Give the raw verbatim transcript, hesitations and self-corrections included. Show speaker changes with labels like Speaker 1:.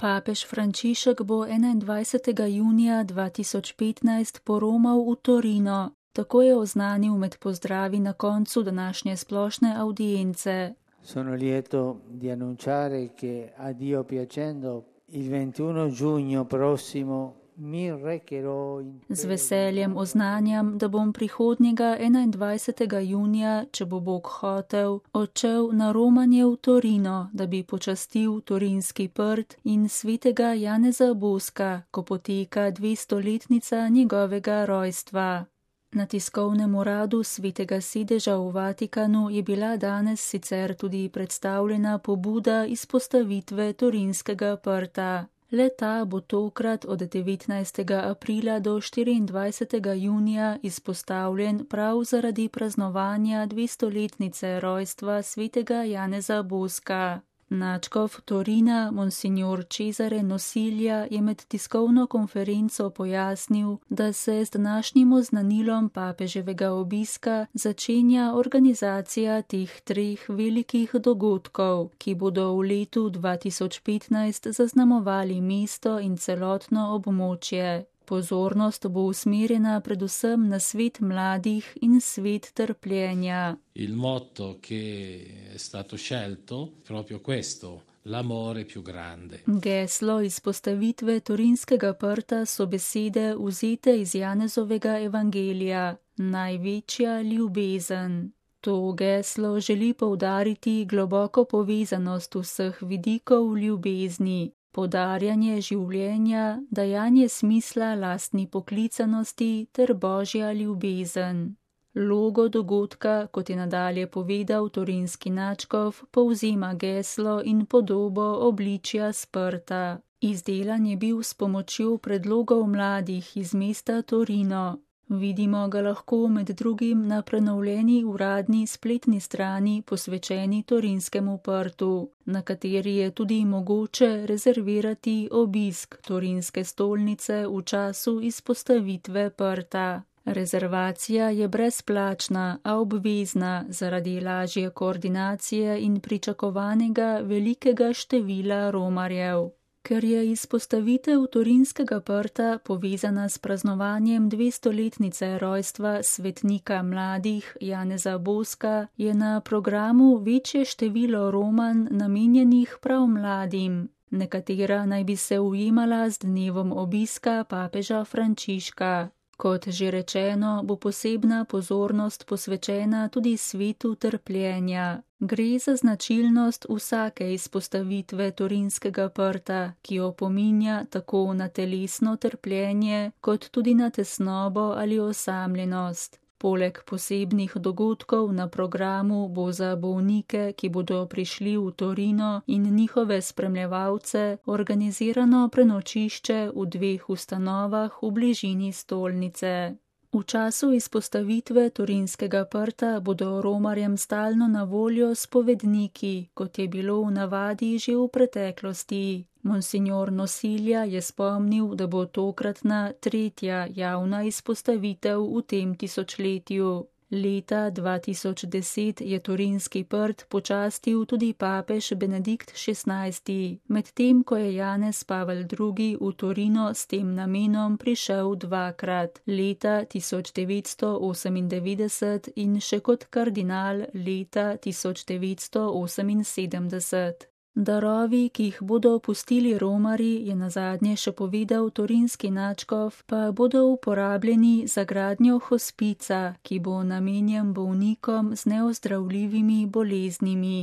Speaker 1: Papež Frančišek bo enaindvajsetega junija dva tisoč petnajst poromal v Torino, tako je oznanil med pozdravi na koncu današnje splošne avdience.
Speaker 2: Sono lieto di annunciare che a Dio piacendo il ventuno giugno prossimo mi recherò in
Speaker 1: Z veseljem oznanjam, da bom prihodnjega enaindvajsetega junija, če bo Bog hotel, odšel na romanje v Torino, da bi počastil Torinski prt in svetega Janeza Boska, ko poteka dvestoletnica njegovega rojstva. Na tiskovnem uradu svetega sedeža v Vatikanu je bila danes sicer tudi predstavljena pobuda izpostavitve Torinskega prta. Le-ta bo tokrat od devetnajstega aprila do štiriindvajsetega junija izpostavljen prav zaradi praznovanja dvestoletnice rojstva svetega Janeza Boska. Nadškof Torina, monsignor Cesare Nosilja, je med tiskovno konferenco pojasnil, da se z današnjim oznanilom papeževega obiska začenja organizacija teh treh velikih dogodkov, ki bodo v letu dva tisoč petnajst zaznamovali mesto in celotno območje. Pozornost bo usmerjena predvsem na svet mladih in svet trpljenja.
Speaker 3: Il motto che è stato scelto è proprio questo, l'amore più grande.
Speaker 1: Geslo izpostavitve Torinskega prta so besede vzete iz Janezovega evangelija, največja ljubezen. To geslo želi poudariti globoko povezanost vseh vidikov ljubezni. Podarjanje življenja, dajanje smisla lastni poklicanosti ter božja ljubezen. Logo dogodka, kot je nadalje povedal torinski nadškof, povzema geslo in podobo obličja sprta. Izdelan je bil s pomočjo predlogov mladih iz mesta Torino. Vidimo ga lahko med drugim na prenovljeni uradni spletni strani posvečeni Torinskemu prtu, na kateri je tudi mogoče rezervirati obisk Torinske stolnice v času izpostavitve prta. Rezervacija je brezplačna, a obvezna zaradi lažje koordinacije in pričakovanega velikega števila romarjev. Ker je izpostavitev Torinskega prta povezana s praznovanjem dvestoletnice rojstva svetnika mladih Janeza Boska, je na programu večje število romanj namenjenih prav mladim. Nekatera naj bi se ujemala z dnevom obiska papeža Frančiška. Kot že rečeno, bo posebna pozornost posvečena tudi svetu trpljenja. Gre za značilnost vsake izpostavitve Torinskega prta, ki opominja tako na telesno trpljenje, kot tudi na tesnobo ali osamljenost. Poleg posebnih dogodkov na programu bo za bolnike, ki bodo prišli v Torino in njihove spremljevalce, organizirano prenočišče v dveh ustanovah v bližini stolnice. V času izpostavitve Torinskega prta bodo romarjem stalno na voljo spovedniki, kot je bilo v navadi že v preteklosti. Monsignor Nosilja je spomnil, da bo tokratna tretja javna izpostavitev v tem tisočletju. Leta dva tisoč deset je Torinski prt počastil tudi papež Benedikt šestnajsti, medtem ko je Janez Pavel drugi v Torino s tem namenom prišel dvakrat, leta tisoč devetsto osemindevetdeset in še kot kardinal leta tisoč devetsto oseminsedemdeset. Darovi, ki jih bodo pustili romarji, je nazadnje še povedal torinski nadškof, pa bodo uporabljeni za gradnjo hospica, ki bo namenjen bolnikom z neozdravljivimi boleznimi.